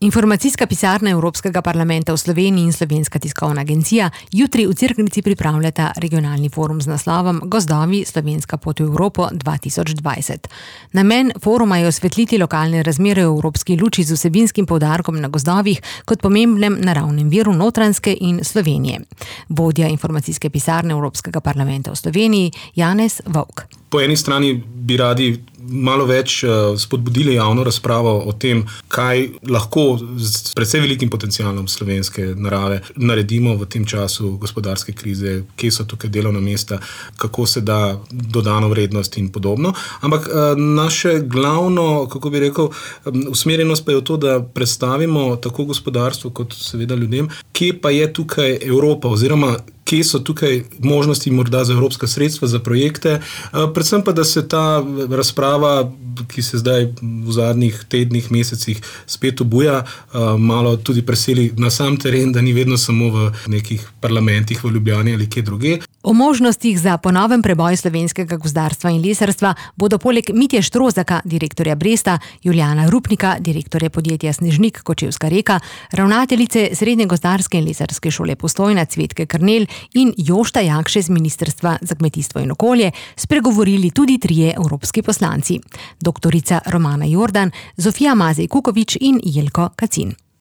Informacijska pisarna Evropskega parlamenta v Sloveniji in Slovenska tiskovna agencija jutri v Cerknici pripravljata regionalni forum z naslovom Gozdovi Slovenska pot v Evropo 2020. Namen foruma je osvetliti lokalne razmere v evropski luči z vsebinskim poudarkom na gozdovih kot pomembnem naravnem viru Notranjske in Slovenije. Vodja informacijske pisarne Evropskega parlamenta v Sloveniji Janez Vovk. Po eni strani bi radi malo več spodbudili javno razpravo o tem, kaj lahko s precej velikim potencialom slovenske narave naredimo v tem času gospodarske krize, kje so tukaj delovna mesta, kako se da dodano vrednost in podobno. Ampak naše glavno, kako bi rekel, usmerjenost pa je v to, da predstavimo tako gospodarstvo kot seveda ljudem, kje pa je tukaj Evropa oziroma kje so tukaj možnosti morda za evropska sredstva, za projekte, predvsem pa, da se ta razprava, ki se zdaj v zadnjih tednih, mesecih spet obuja, malo tudi preseli na sam teren, da ni vedno samo v nekih parlamentih v Ljubljani ali kje druge. O možnostih za ponoven preboj slovenskega gozdarstva in lesarstva bodo poleg Mitje Štrozaka, direktorja Bresta, Julijana Rupnika, direktorja podjetja Snežnik Kočevska Reka, ravnateljice Srednje gozdarske in lesarske šole Postojna Cvetke Krnel in Jošta Jakše z Ministrstva za kmetijstvo in okolje spregovorili tudi trije evropski poslanci. Doktorica Romana Jordan, Zofija Mazej Kukovič in Jelko Kacin.